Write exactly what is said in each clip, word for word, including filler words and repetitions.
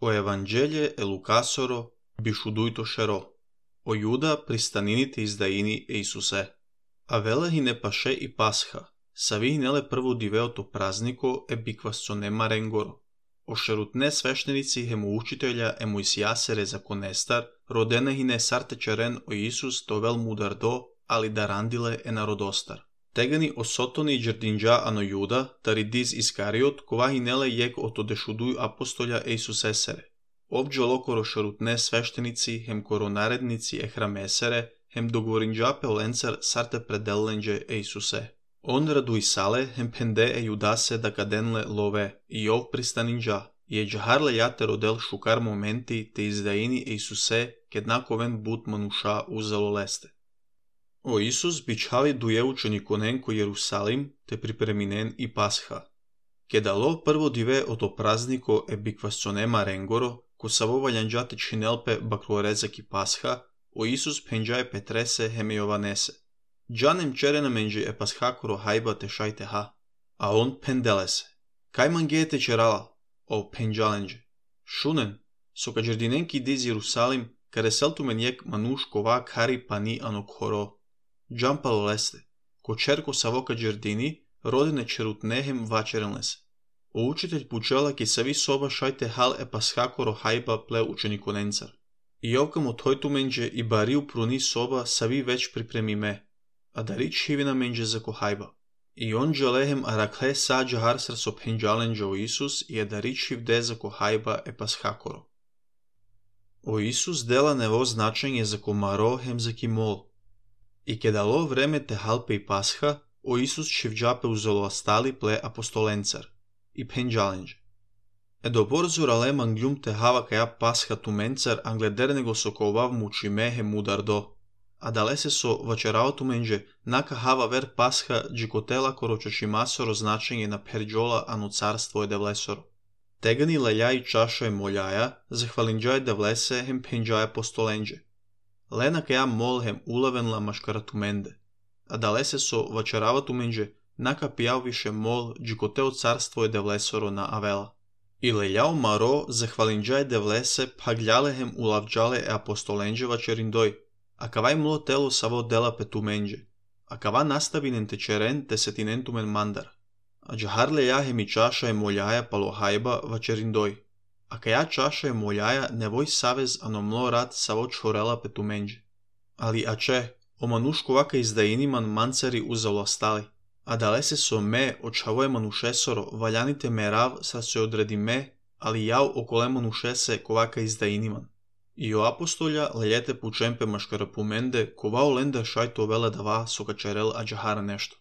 O Evanghelie e Lucasoro bishuduito shero. O Iuda pristaninite izdaini e Isuse. Avela hine pashe i Pascha. Savi hinele prvo diveoto празднико e биквасцонема ренгоро. Ошерутне свештеници хему учителя е Моисијасере законестар, родена хине сартечерен о Исус довел мудардо, али дарандиле е народостар. Тегани осотони и джердинджа ано Јуда, таридиз Искариот, кова хинеле јек ото дешудуј апостолја е Исусесере. Обџо локоро шерутне свештеници хем коронаредници е храмесере, хем договоринджа пеоленцар сарте пределленџе е Исусе. Он радуисале хем пенде е Јудасе да каденле лове, и ов пристанинджа, и е джахарле јате родел шукар моменти те издаини е Исусе, кеднаковен бут мануша узало лесте. O Isus бичали дуе учениконен ко Јерусалим, те припреминен и Пасха. Кедало прво диве ото празнико е биквасцонема ренгоро, ко саво валјанџате чинелпе баклорезак и Пасха, о Исус пенџаe Петресе хеме Јованесе. Джанем черена менџи е Пасхакоро хајба те шајте ха, а он пенделесе. Кај мангеете черала, о пенџаленџе. Шунен, со каџердиненки диз Јерусалим, кареселту мен јек мануш кова кари пани ано хоро. Джампало лесте, ко черко савока джердини, родене черутнехем вачеренлесе. О учител пучела ки сави соба шајте хал е Пасхакоро хајба пле учениконенцар. И овкам от тојту менџе и бариу пруни соба сави веќ припремиме, а дари чивина менџе за ко хајба. И он джалехем аракле са джахарсар со пенџаленџа о Исус и е дари чивде за ко хајба е Пасхакоро. О Исус дела нево значење за ко маро хем за ки мол. И кедало време те халпе и Пасха, о Исус чивџапе узолоастали пле апостоленцар и пенџаленџе. Е доборзо рале манглјум те хава каја Пасха туменцар англедерне го соковав мучимехе мудардо, а далесе со вачераото менџе нака хава вер Пасха джикотела корочашимасоро значење на перџола ано царство е девлесоро. Тегани леља и чаша е молјаја, захвалинџај девлесе хем пенџај апостоленџе. Лена каја мол хем улавенла машкаратуменде, а далесе со вачеравато менџе нака пијав више мол джикотео царство е девлесоро на Авела. И лељао маро захвалинџај девлесе паглјале хем улавџале е апостоленџе вачериндој, а кавај мло тело саво дела петуменџе, а кава наставинен течерен десетинентумен мандар, а джахар леја хем и чаша е молјаја пало хајба вачериндој. А каја чаша е молјаја невој савез ано мло рад саво чорела петуменџе. Али аче, о манушко вака издаиниман манцари узалостали, а далесе со ме очавое манушесоро валјаните мерав са се одреди ме, али јао околе манушесе ковака издаиниман. И о апостолја лељете пучемпе машкарапуменде кова оленда шајто веле дава со качерел а джахара нешто.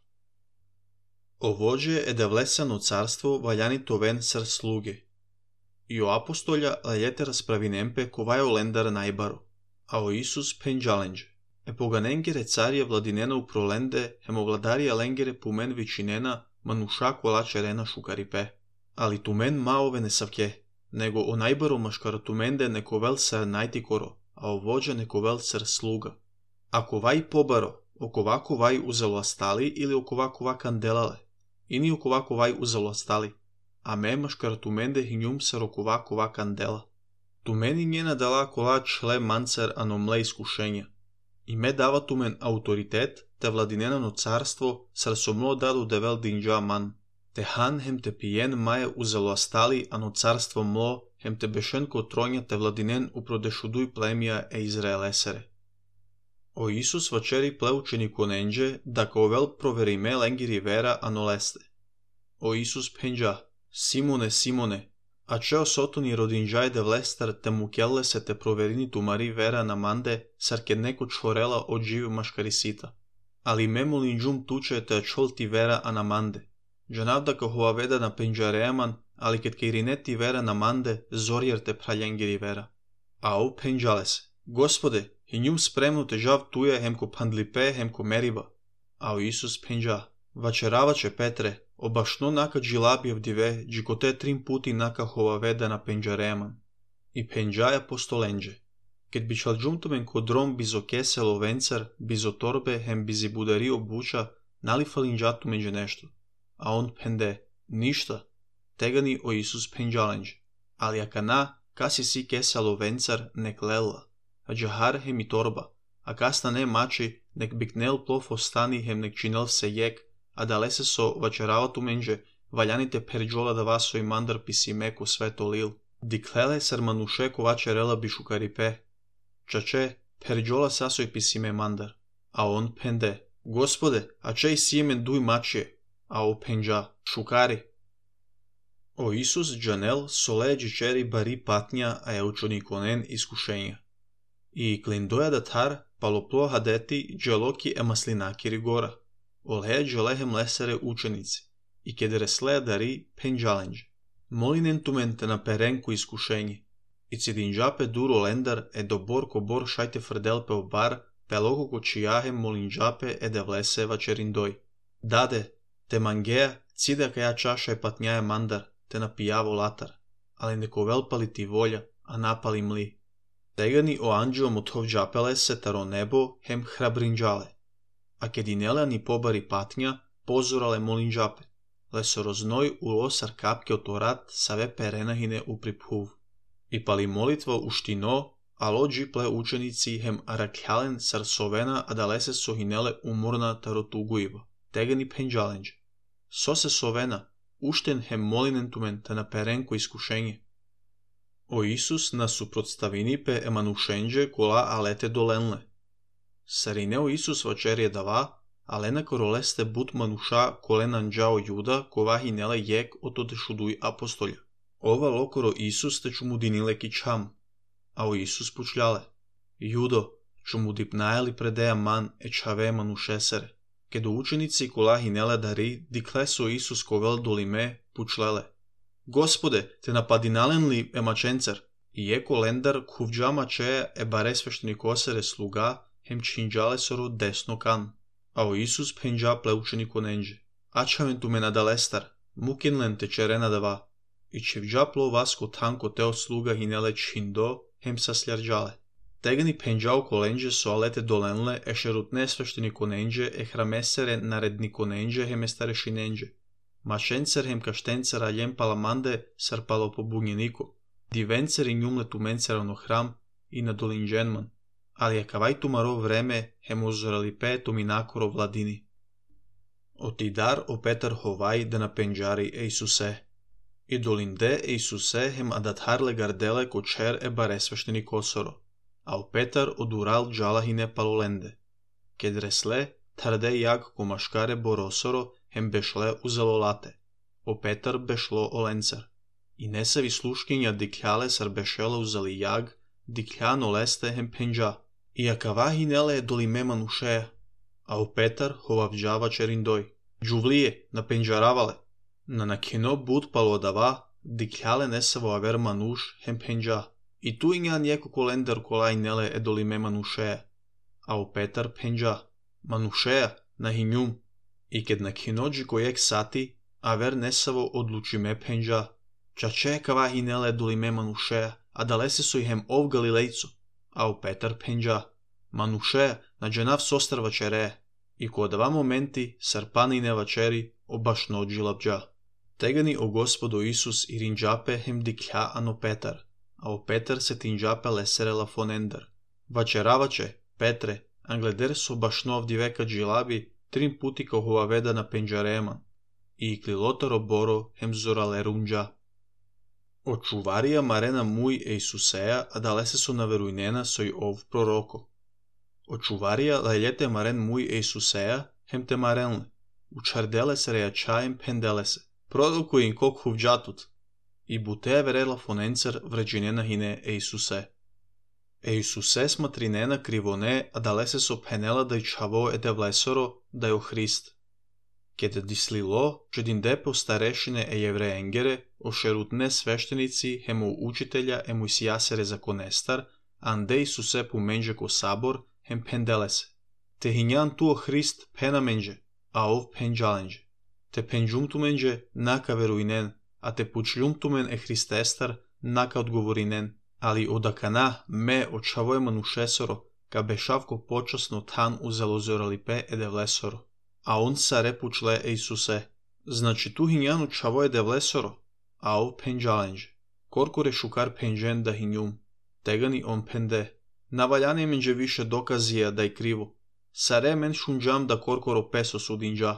Овоđe е девлесано царство валјани вен сар слуге. И о апостолја лељете расправинемпе ковај олендар најбаро, а о Исус пенџаленџе. Е поганенгере царија владинена у проленде, хемо владарија ленгере пумен вичинена, мануша кола черена шукарипе. Али тумен маове не савке, него о најбаро машкаратуменде нековел сар најтикоро, а овоđe нековел сар слуга. А ковај побаро, окова ковај узалоастали или окова кова канделале, ини окова ковај узалоастали. А ме машкаратуменде хињум сар окова кова кандела. Тумени njena дала кола чле манцар ано мле искушења. И ме дава тумен ауторитет, те владинено царство, сар со мло даду девел динџа ман. Те хан хем те пиен маје узалоастали ано царство мло, хем те бешен ко троња те владинен упродешудуј племија е Израелесере. О Исус вачери пле учениконенџе, да ковел провериме ленгири вера ано лесте. О Исус пенџа, Симоне, Симоне, а чео сотони родинџај девлестар те мукелле се те проверини тумари вера на манде, сар ке неко чорела од живи машкарисита. Али ме молинџум туче те чол ти вера а на манде. Джанавда ка ховаведа на пенџареаман, али кет кејринет ти вера на манде, зорјер те праљенгири вера. А о пенџале се, Господе, хињум спремно те жав туја хем ко пандлипе, хем ко мериба. А о Исус пенџа, вачераваче Петре, обашно нака джилабиев диве, джикоте трим пути нака ховаведа на пенџареаман. И пенџаја постоленџе. Кет бичалџумтумен ко дром бизо кесело венцар, бизо торбе, хем бизи будари обуча, нали фалинџату меѓу нешто. А он пенде, ништа, тегани о Исус пенџаленџе. Али акана, kasi si kesalo vencar nek lella, a jahar hem i torba, a kasta ne mači nek biknel plofo stani hem nek činel se jek, a dalese so vačeravatu menže, valjanite perjola da vaso i mandar pisime ko sveto lil. Diklele sar manuše ko vačerela bišukaripe. Čače, perjola sasoj pisime mandar. A on pende, Gospode, a čej sijemen duj mačije, a o penđa, šukari. O Isus džanel sole džičeri bari patnja a je učonikonen iskušenja. I klindoja da tar paloplo hadeti dželoki e maslinaki rigora. Oleja dželehem lesere učenici. I kedresleja dari penđalenđe. Molinen tumente na perenku iskušenje. I cidinđape duro lendar e do bor ko bor šajte frdelpe o bar, peloko ko čijahem molinđape e devlese vačerindoj. Dade, te mangeja, cida kaja čaša je patnjaja mandar, te napijavo latar, ali neko velpali ti volja, a napali mli. Tegani o anđelom od hovđapele se taro nebo hem hrabrinđale, a kedinela ni pobari patnja, pozorale molinđape, leso roznoj u losar kapke o torat save perenahine u priphuv. I pali molitva u štino, a lo džiple učenici hem arakhjalen sar sovena a dalese sohinele umorna taro tuguiva, tegani penđalenđe. So se sovena, ušten hem molinen tumen te na perenko iskušenje. O Isus na suprotstavinipe emanušenđe kola alete dolenle. Sarineo Isus vačerje dava, alena koroleste but manuša kolenan džao juda kovahi nele jek otode šuduj apostolja. Ova lokoro Isus te čumudinile kičam, a o Isus pučljale. Judo, čumudipnajali predeja man e čave manušesere. Kedo učenici kolahi nele dari, dikleso Isus kovel dolime pučlele. Gospode, te napadinalen li emačencer? I eko lendar kuvđama čeja e bare sveštenikosere sluga, hem činđale soro desno kan. A o Isus penđa ple učeniko nenđe. Ačaven tu me nadalestar, mukinlen te čerena dava. I čevđaplo vasko tanko teo sluga hinele čindo, hem sasljarđale. Tegani penđao kolenđe so alete dolenle e šerut nesvešteniko nenđe e hramesere naredniko nenđe hem e starešinenđe. Mašencer hem kaštencer aljem palamande sar palo pobunjeniko. Divencer i njumle tumencerano hram i na dolinđenman. Ali je kavaj tumaro vreme hem uzorali petom i nakoro vladini. Otidar o Petar hovaj da na penđari e Isuse. I dolinde e Isuse hem adatharle gardele ko čer e bare svešteni kosoro. A o Petar odural džalahine palolende. Kedresle, tarde jak ko maškare borosoro, hem bešle uzelo late. O Petar bešlo olencar. I nesavi sluškinja dikljale sar bešele uzeli jag, dikljano leste hem penđa. I akavahi nele dolime manušeja. A o Petar hovavđava čerindoj. Džuvlije, na penđaravale. Na nakino bud palodava, dikljale nesavo aver manuš hem penđa. I tu inja njeko kolendar kolaj nele e dolime manušeja. A o Petar penđa. Manušeja, na hinjum. I ked na kinođi kojek sati, aver nesavo odluči me penđa. Čače kavahi nele dolime manušeja, a dalese su ihem ov galilejcu. A o Petar penđa. Manušeja, na dženav sostar vačere. I ko dva momenti, sarpanine vačeri, obaš nođi labđa. Tegani o Gospodo Isus i rinđape hem diklja ano Petar. A o Petar se tinđape leserela fonendar. Vačeravače, Petre, angleder so bašnov diveka džilabi, trim puti kao hovaveda na penđareman. I klilotaro boro hem zorale runđa. Očuvarija marena muj e Isuseja, a dalese so naverujnena soj ov proroko. Očuvarija lajljete maren muj e Isuseja, hem te marenle. Učardele se rejačajem pendele se. Proroku in kok huvđatut. I bute verela fonencer vređinena hine e Isuse. E Isuse smatrinena krivone, a dalese so penela da i čavo ede vlesoro, da jo Hrist. Kede dislilo, čedin depo starešine e jevreengere, ošerutne sveštenici, hemu učitelja emu isjasere zakonestar, ande Isuse pumenđe ko sabor, hem pendele se. Te hinjan tuo Hrist pena menđe, a ov penđalenđe. Te penđumtumenđe naka veruinen, a te pučljumtumen e Hristestar naka odgovorinen, ali odakana me očavoje manušesoro, ka bešavko počasno tan uzelo zoralipe ede vlesoro. A on sa repučle e Isuse. Znači tu hinjanu čavoje de vlesoro, a ov penđalenđe. коркоре шукар пенжен да хинјум, тегани он пенде. Наваљане менџе више доказија да е криво. Саре мен шунџам да коркоро песо судинџа.